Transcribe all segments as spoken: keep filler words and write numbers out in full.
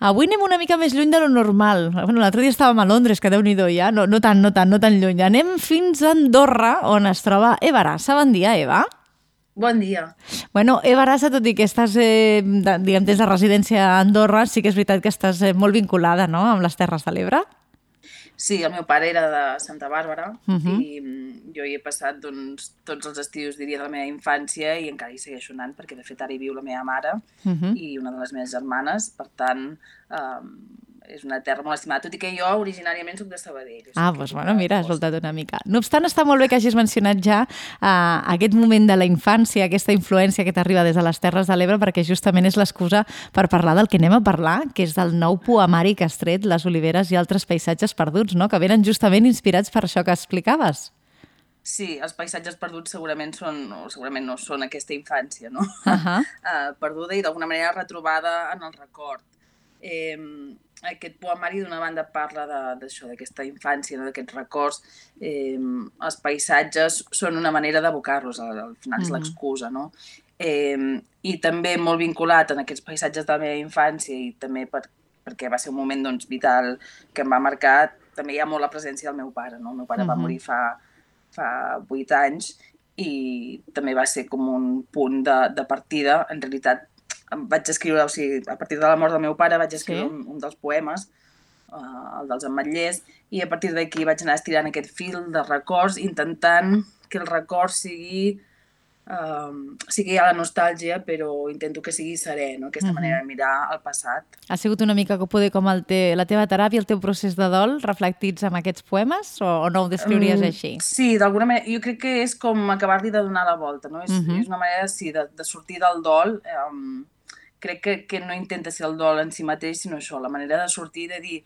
Avui anem una mica més lluny de lo normal. Bueno, l'altre dia estàvem a Londres, que déu-n'hi-do ja, no, no tant, no tant, no tan lluny. Anem fins a Andorra, on es troba Eva Arassa. Bon dia, Eva. Bon dia. Bueno, Eva Arassa, tot i que estàs, eh, de, diguem, des de residència a Andorra, sí que és veritat que estàs eh, molt vinculada, no?, amb les Terres de l'Ebre. Sí, el meu pare era de Santa Bàrbara Uh-huh. i jo hi he passat doncs, tots els estius, diria, de la meva infància i encara hi segueixo anant perquè, de fet, ara hi viu la meva mare Uh-huh. i una de les meves germanes. Per tant, eh, és una terra molt estimada, tot i que jo originàriament soc de Sabadell. O sigui Ah, que doncs, vinc bueno, de mira, has Costa. voltat una mica. No obstant, està molt bé que hagis mencionat ja uh, aquest moment de la infància, aquesta influència que t'arriba des de les Terres de l'Ebre, perquè justament és l'excusa per parlar del que anem a parlar, que és del nou poemari que has tret, Les oliveres i altres paisatges perduts, no?, que venen justament inspirats per això que explicaves. Sí, els paisatges perduts segurament són, o segurament no són aquesta infància, no? Uh-huh. uh, perduda i d'alguna manera retrobada en el record. Eh, aquest poemari d'una banda parla d'això, d'aquesta infància, no? D'aquests records. Eh, els paisatges són una manera d'abocar-los, al, al final és Mhm. l'excusa, no? Eh, I també molt vinculat en aquests paisatges de la meva infància i també per, perquè va ser un moment doncs, vital que em va marcar, també hi ha molt la presència del meu pare, no? El meu pare va Mhm. morir fa, fa vuit anys i també va ser com un punt de, de partida. En realitat em vaig escriure, o sigui, a partir de la mort del meu pare vaig escriure Sí. un, un dels poemes, uh, el dels ametllers, i a partir d'aquí vaig anar estirant aquest fil de records, intentant que el record sigui, uh, sigui a la nostàlgia, però intento que sigui serè, no? Aquesta Mhm. manera de mirar el passat. Ha sigut una mica poder com el te, la teva teràpia, el teu procés de dol, reflectits en aquests poemes, o, o no ho descriuries Mm, així? Sí, d'alguna manera. Jo crec que és com acabar-li de donar la volta, no? És, Mhm. és una manera, sí, de, de sortir del dol. Um, crec que, que no intenta ser el dol en si mateix, sinó això, la manera de sortir, de dir,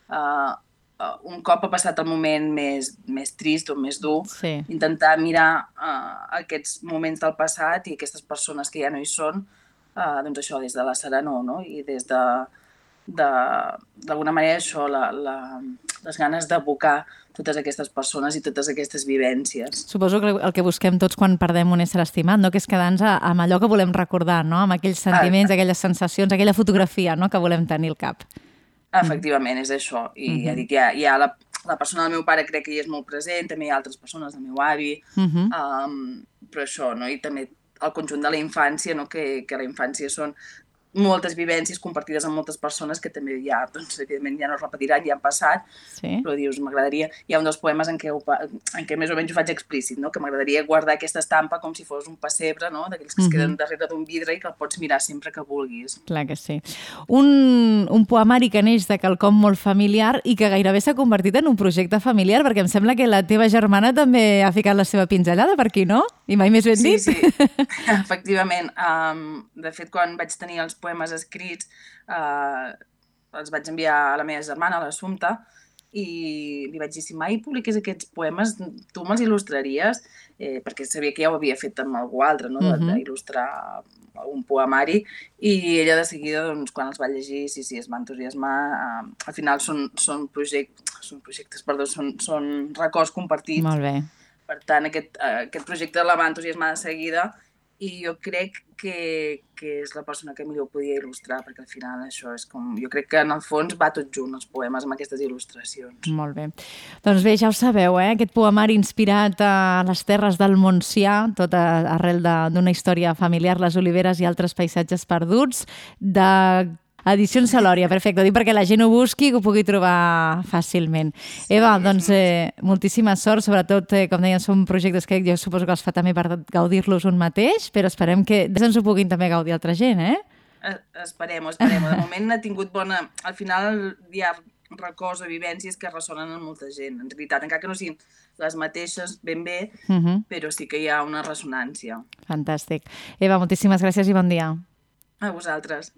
uh, uh, un cop ha passat el moment més, més trist o més dur, Sí. intentar mirar uh, aquests moments del passat i aquestes persones que ja no hi són, uh, doncs això, des de la serenor, no? I des de, de- d'alguna manera això, la, la, les ganes d'abocar totes aquestes persones i totes aquestes vivències. Suposo que el que busquem tots quan perdem un ésser estimat, no?, que és quedar-nos a- amb allò que volem recordar, no?, amb aquells sentiments, aquelles sensacions, aquella fotografia, no?, que volem tenir al cap. Efectivament, és això. I ja Mhm. dic, ja, ja la, la persona del meu pare crec que hi és molt present, també hi ha altres persones, el meu avi, Mhm. um, però això, no? I també el conjunt de la infància, no? que, que la infància són moltes vivències compartides amb moltes persones que també ja, doncs, evidentment, ja no es repetiran, ja han passat, Sí. però dius, m'agradaria... Hi ha un dels poemes en què, ho, pa- en què més o menys ho faig explícit, no? Que m'agradaria guardar aquesta estampa com si fos un pessebre, no? D'aquells que es queden Mhm. darrere d'un vidre i que el pots mirar sempre que vulguis. Clar que sí. Un, un poemari que neix de quelcom molt familiar i que gairebé s'ha convertit en un projecte familiar, perquè em sembla que la teva germana també ha ficat la seva pinzellada per aquí, no? I mai més ben Sí, dit. sí, efectivament. Um, de fet, quan vaig tenir els poemes escrits, uh, els vaig enviar a la meva germana, a l'Assumpta, i li vaig dir, si mai publiqués aquests poemes, tu me'ls il·lustraries? Eh, perquè sabia que ja ho havia fet amb algú altre, no? Mhm. d'il·lustrar un poemari, i ella de seguida, doncs, quan els va llegir, sí, sí, es va entusiasmar. Uh, al final són, són, project, són projectes, perdó, són, són records compartits. Molt bé. Per tant, aquest, uh, aquest projecte la va entusiasmar de seguida i jo crec que, que és la persona que millor podia il·lustrar, perquè al final això és com... Jo crec que en el fons va tot junt, els poemes, amb aquestes il·lustracions. Molt bé. Doncs bé, ja ho sabeu, eh? Aquest poemari inspirat a les terres del Montsià, tot a- arrel de- d'una història familiar, les oliveres i altres paisatges perduts, de Edicions Salòria, perfecte. Dic perquè la gent ho busqui i que ho pugui trobar fàcilment. Eva, doncs eh, moltíssima sort, sobretot, eh, com deien, són projectes que jo suposo que els fa també per gaudir-los un mateix, però esperem que ens ho puguin també gaudir altra gent, eh? Eh, esperem, esperem. De moment ha tingut bona... Al final hi ha records o vivències que ressonen en molta gent. En realitat, encara que no siguin les mateixes ben bé, Uh -huh. però sí que hi ha una ressonància. Fantàstic. Eva, moltíssimes gràcies i bon dia. A vosaltres.